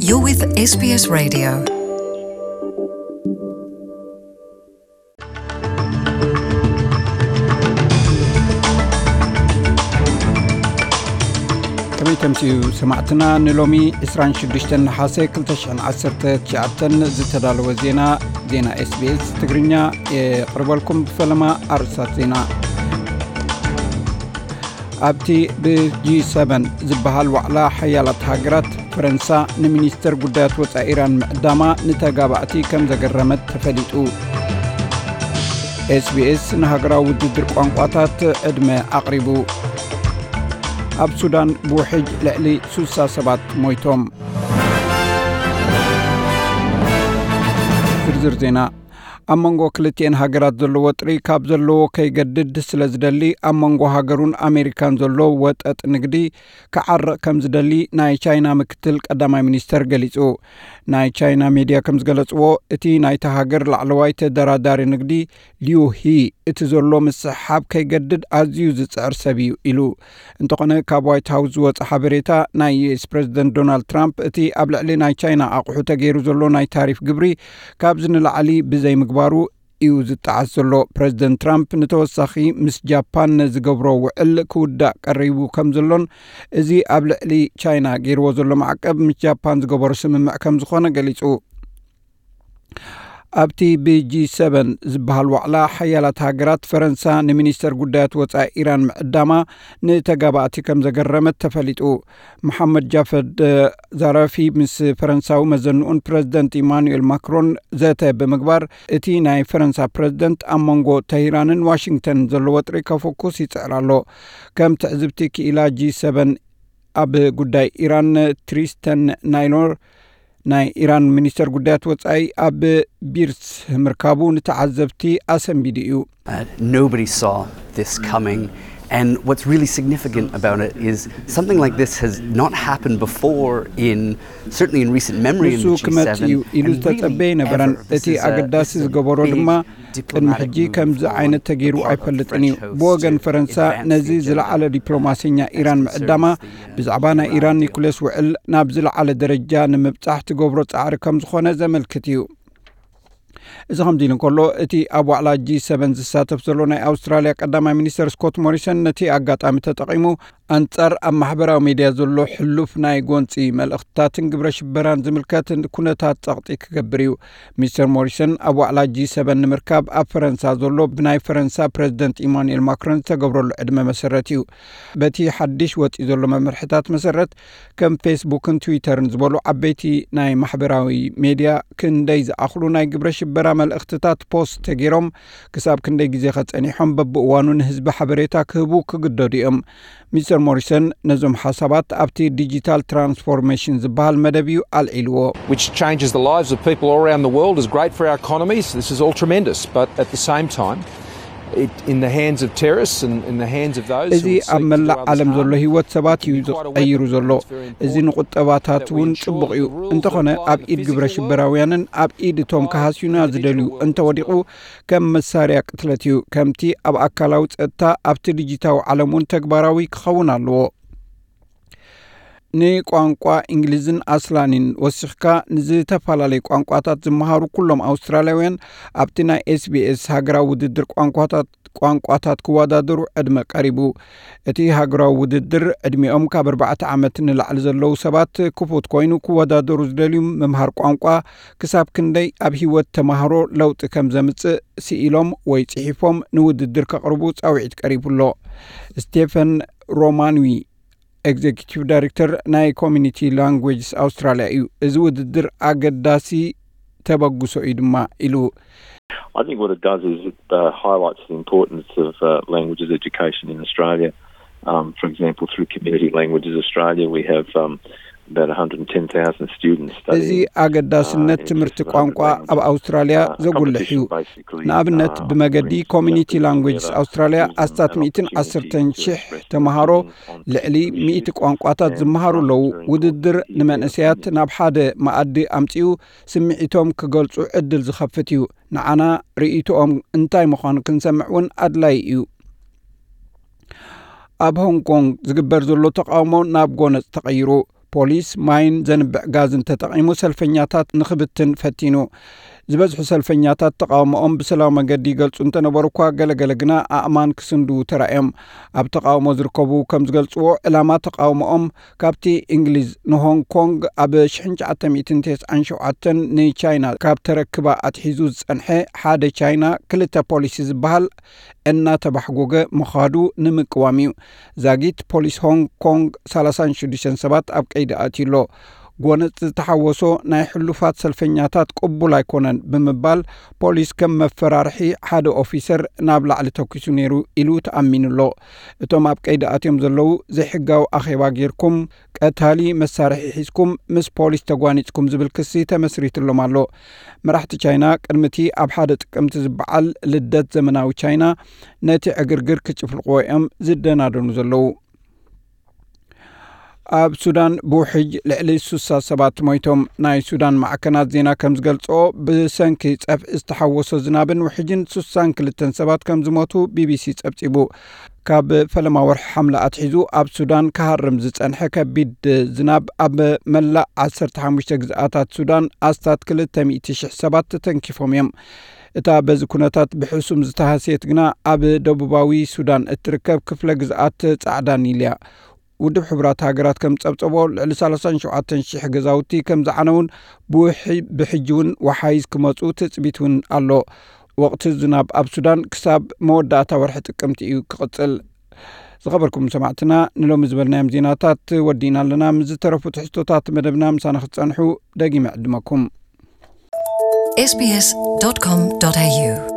You're with S B S Radio. ከመይ ተምስኡ ሰማዕትና፣ ንሎሚ ዕስራን ሽዱሽተን ነሓሰ ክልተ ሽሕን ዓሰርተ ትሽዓተን ዝተዳለወ ዜና፣ ዜና ኤስቢኤስ ትግርኛ የቕርበልኩም። ብፈለማ ኣርእስታት ዜና። ኣብቲ ብጂ ሰቨን ዝበሃል ዋዕላ ሓያላት ሃገራት፣ ፈረንሳ ንሚኒስተር ጉዳያት ወጻኢ ኢራን ምዕዳማ ንተጋባእቲ ከም ዘገረመት ተፈሊጡ። ኤስቢኤስ ንሃገራዊ ውድድር ቋንቋታት ዕድመ ኣቕሪቡ። ኣብ ሱዳን ብውሕጅ ልዕሊ ሱሳ ሰባት ሞይቶም። ዝርዝር ዜና። ኣብ መንጎ ክልቲኤን ሃገራት ዘሎ ወጥሪ ካብ ዘለዎ ከይገድድ ስለ ዝደሊ፣ ኣብ መንጎ ሃገሩን ኣሜሪካን ዘሎ ወጠጥ ንግዲ ክዓርቕ ከም ዝደሊ ናይ ቻይና ምክትል ቀዳማይ ሚኒስተር ገሊጹ። ናይ ቻይና ሜድያ ከም ዝገለጽዎ፣ እቲ ናይታ ሃገር ላዕለዋይ ተደራዳሪ ንግዲ ሊዩ ሂ፣ እቲ ዘሎ ምስሕሓብ ከይገድድ ኣዝዩ ዝጽዕር ሰብ እዩ ኢሉ። እንተኾነ፣ ካብ ዋይት ሃውስ ዝወጸ ሓበሬታ፣ ናይ ዩኤስ ፕሬዝደንት ዶናልድ ትራምፕ እቲ ኣብ ልዕሊ ናይ ቻይና ኣቑሑ ተገይሩ ዘሎ ናይ ታሪፍ ግብሪ ካብዚ ንላዕሊ ብዘይምግባሩ እዩ ዝጠዓስ ዘሎ። ፕሬዝደንት ትራምፕ ንተወሳኺ ምስ ጃፓን ዝገብሮ ውዕል ክውዳእ ቀሪቡ ከም ዘሎን፣ እዚ ኣብ ልዕሊ ቻይና ገይርዎ ዘሎ ማዕቀብ ምስ ጃፓን ዝገበሮ ስምምዕ ከም ዝኾነ ገሊጹ። ኣብቲ ብጂ ሰቨን ዝበሃል ዋዕላ ሓያላት ሃገራት፣ ፈረንሳ ንሚኒስተር ጉዳያት ወጻኢ ኢራን ምዕዳማ ንተጋባእቲ ከም ዘገረመት ተፈሊጡ። መሓመድ ጃፈድ ዛራፊ ምስ ፈረንሳዊ መዘንኡን ፕረዚደንት ኢማኑኤል ማክሮን ዘተ ብምግባር፣ እቲ ናይ ፈረንሳ ፕረዚደንት ኣብ መንጎ ተሂራንን ዋሽንግተንን ዘሎ ወጥሪ ከፈኩስ ይጽዕር ኣሎ። ከም ትዕዝብቲ ክኢላ ጂ ሰቨን ኣብ ጉዳይ ኢራን ትሪስተን ናይሎር፣ ናይ ኢራን ሚኒስተር ጉዳያት ወጻኢ ኣብ ቢርስ ምርካቡ ንተዓዘብቲ ኣሰንቢዱ እዩ። Uh, nobody saw this coming. And what's really significant about it is something like this has not happened before in, certainly in recent memory in ንሱ the ክመጽእ እዩ G seven, ኢሉ and ዝተጸበየ really ኣይነበረን። Ever. This እቲ is a, ኣገዳሲ this is a ዝገበሮ big ድማ ቅድሚ ሕጂ ከምዚ ዓይነት ተገይሩ ኣይፈልጥን እዩ። ብወገን ፈረንሳ ነዚ ዝለዓለ ዲፕሎማሰኛ ኢራን ምዕዳማ ብዛዕባ ናይ ኢራን ኒኩሌስ ውዕል ናብ ዝለዓለ ደረጃ ንምብጻሕ ትገብሮ ጻዕሪ ከም ዝኾነ ዘመልክት እዩ። እዚ ከምዚ ኢሉ እንከሎ፣ እቲ ኣብ ዋዕላ ጂ ሰቨን ዝሳተፍ ዘሎ ናይ ኣውስትራልያ ቀዳማይ ሚኒስተር ስኮት ሞሪሰን ነቲ ኣጋጣሚ ተጠቒሙ ኣንጻር ኣብ ማሕበራዊ ሜድያ ዘሎ ሕሉፍ ናይ ጎንጺ መልእኽትታትን ግብረ ሽበራን ዝምልከት ኩነታት ጸቕጢ ክገብር እዩ። ሚስተር ሞሪሰን ኣብ ዋዕላ ጂ ሰቨን ንምርካብ ኣብ ፈረንሳ ዘሎ ብናይ ፈረንሳ ፕረዚደንት ኢማኑኤል ማክሮን ዝተገብረሉ ዕድመ መሰረት እዩ። በቲ ሓድሽ ወጺኡ ዘሎ መምርሕታት መሰረት፣ ከም ፌስቡክን ትዊተርን ዝበሉ ዓበይቲ ናይ ማሕበራዊ ሜድያ ክንደይ ዝኣኽሉ ናይ ግብረ ሽበራ መልእኽትታት ፖስት ተገይሮም፣ ክሳብ ክንደይ ግዜ ከጸኒሖም በብእዋኑ ንህዝቢ ሓበሬታ ክህቡ ክግደዱ እዮም። ሚስተር ሞሪሰን ነዞም ሓሳባት ኣብቲ ዲጂታል ትራንስፎርሜሽን ዝበሃል መደብ እዩ ኣልዒልዎ። Which changes the lives of people all around the world is great for our economies. This is all tremendous, but at the same time, it, in the hands of terrorists and in the hands of those እዚ who would ኣብ seek to መላእ do others ዓለም ዘሎ harm, ህይወት ሰባት እዩ ዝቐይሩ ዘሎ። እዚ ንቁጠባታት እውን ጽቡቕ እዩ። እንተኾነ፣ ኣብ ኢድ ግብረ ሽበራውያንን ኣብ ኢድ እቶም ክሃስዩና ዝደልዩ እንተወዲቑ፣ ከም መሳርያ ቅትለት እዩ። ከምቲ ኣብ ኣካላዊ ጸጥታ፣ ኣብቲ ዲጂታዊ ዓለም እውን ተግባራዊ ክኸውን ኣለዎ። ንቋንቋ እንግሊዝን ኣስላኒን ወሲኽካ ንዝተፈላለዩ ቋንቋታት ዝመሃሩ ኩሎም ኣውስትራልያውያን፣ ኣብቲ ናይ ኤስቢኤስ ሃገራዊ ውድድር ቋንቋታት፣ ቋንቋታት ክወዳደሩ ዕድመ ቀሪቡ። እቲ ሃገራዊ ውድድር ዕድሚኦም ካብ ኣርባዕተ ዓመት ንላዕሊ ዘለዉ ሰባት ክፉት ኮይኑ፣ ክወዳደሩ ዝደልዩ ምምሃር ቋንቋ ክሳብ ክንደይ ኣብ ህይወት ተማሃሮ ለውጢ ከም ዘምጽእ ስኢሎም ወይ ጽሒፎም ንውድድር ከቕርቡ ጻውዒት ቀሪቡ ኣሎ። ስቴፈን ሮማንዊ፣ ኤግዜኪቲቭ ዳይሬክተር ናይ ኮሚኒቲ ላንጉዌጅስ ኣውስትራልያ እዩ። እዚ ውድድር ኣገዳሲ ተበግሶ እዩ ድማ ኢሉ። I think what it does is it uh, highlights the importance of uh, languages education in Australia. Um, for example, through Community Languages Australia, we have um, about one hundred ten thousand students እዚ studying. ኣገዳስነት ትምህርቲ ቋንቋ ኣብ ኣውስትራልያ ዘጉልሕ እዩ። ንኣብነት፣ ብመገዲ ኮሚኒቲ ላንጉጅስ ኣውስትራልያ ኣስታት ሚእትን ዓሰርተን ሽሕ ተምሃሮ ልዕሊ ሚእቲ ቋንቋታት ዝመሃሩ ኣለዉ። ውድድር ንመንእሰያት ናብ ሓደ መኣዲ ኣምጺኡ ስምዒቶም ክገልጹ ዕድል ዝኸፍት እዩ። ንዓና ርእይቶኦም እንታይ ምዃኑ ክንሰምዕ እውን ኣድላዪ እዩ። ኣብ ሆንግ ኮንግ ዝግበር ዘሎ ተቓውሞ ናብ ጎነጽ ተቐይሩ። ፖሊስ ማይን ዘንብዕ ጋዝን ተጠቒሙ ሰልፈኛታት ንኽብትን ፈቲኑ። ዝበዝሑ ሰልፈኛታት ተቓውሞኦም ብሰላማዊ መገዲ ይገልጹ እንተነበሩ እኳ፣ ገለገለ ግና ኣእማን ክስንድዉ ተራእዮም። ኣብ ተቓውሞ ዝርከቡ ከም ዝገልጽዎ፣ ዕላማ ተቓውሞኦም ካብቲ እንግሊዝ ንሆንግ ኮንግ ኣብ ሽሕን ትሽዓተ ሚእትን ተስዓን ሸውዓተን ንቻይና ካብ ተረክባ ኣትሒዙ ዝጸንሐ ሓደ ቻይና ክልተ ፖሊሲ ዝበሃል እናተባሕጎገ ምዃዱ ንምቅዋም እዩ። ዛጊት ፖሊስ ሆንግ ኮንግ ሰላሳን ሽዱሽተን ሰባት ኣብ ቀይዲ ኣትዩ ኣሎ። ጎነጽ ዝተሓወሶ ናይ ሕሉፋት ሰልፈኛታት ቅቡል ኣይኮነን ብምባል፣ ፖሊስ ከም መፈራርሒ ሓደ ኦፊሰር ናብ ላዕሊ ተኲሱ ነይሩ ኢሉ ተኣሚኑ ኣሎ። እቶም ኣብ ቀይዲ ኣትዮም ዘለዉ፣ ዘይሕጋዊ ኣኼባ ጌርኩም፣ ቀታሊ መሳርሒ ሒዝኩም፣ ምስ ፖሊስ ተጓኒጽኩም ዝብል ክሲ ተመስሪትሎም ኣሎ። መራሕቲ ቻይና ቅድሚ እቲ ኣብ ሓደ ጥቅምቲ ዝበዓል ልደት ዘመናዊ ቻይና ነቲ ዕግርግር ክጭፍልቕዎ እዮም ዝደናደኑ ዘለዉ። ኣብ ሱዳን ብውሕጅ ልዕሊ ሱሳ ሰባት ሞይቶም። ናይ ሱዳን ማዕከናት ዜና ከም ዝገልጽኦ፣ ብሰንኪ ጸፍዒ ዝተሓወሶ ዝናብን ውሕጅን ሱሳን ክልተን ሰባት ከም ዝሞቱ ቢቢሲ ጸብጺቡ። ካብ ፈለማ ወርሒ ሓምለ ኣትሒዙ ኣብ ሱዳን ክሃርም ዝጸንሐ ከቢድ ዝናብ ኣብ መላእ ዓሰርተ ሓሙሽተ ግዝኣታት ሱዳን ኣስታት ክልተ ሚእቲ ሽሕ ሰባት ተተንኪፎም እዮም። እታ በዚ ኩነታት ብሕሱም ዝተሃስየት ግና ኣብ ደቡባዊ ሱዳን እትርከብ ክፍለ ግዝኣት ጻዕዳ ኒል እያ። ውድብ ሕቡራት ሃገራት ከም ጸብጸቦ፣ ልዕሊ ሰላሳን ሸውዓተን ሽሕ ገዛውቲ ከም ዝዓነውን ብውሒ-፣ ብሕጂ እውን ወሓይዝ ክመጹ ትጽቢት እውን ኣሎ። ወቕቲ ዝናብ ኣብ ሱዳን ክሳብ መወዳእታ ወርሒ ጥቅምቲ እዩ ክቕጽል። ዝኸበርኩም ሰማዕትና፣ ንሎሚ ዝበልናዮም ዜናታት ወዲእና ኣለና። ምስ ዝተረፉ ትሕዝቶታት መደብና ምሳና ክትጸንሑ ደጊመ ዕድመኩም። ኤስቢኤስ ዶት ኮም ዶት ኤዩ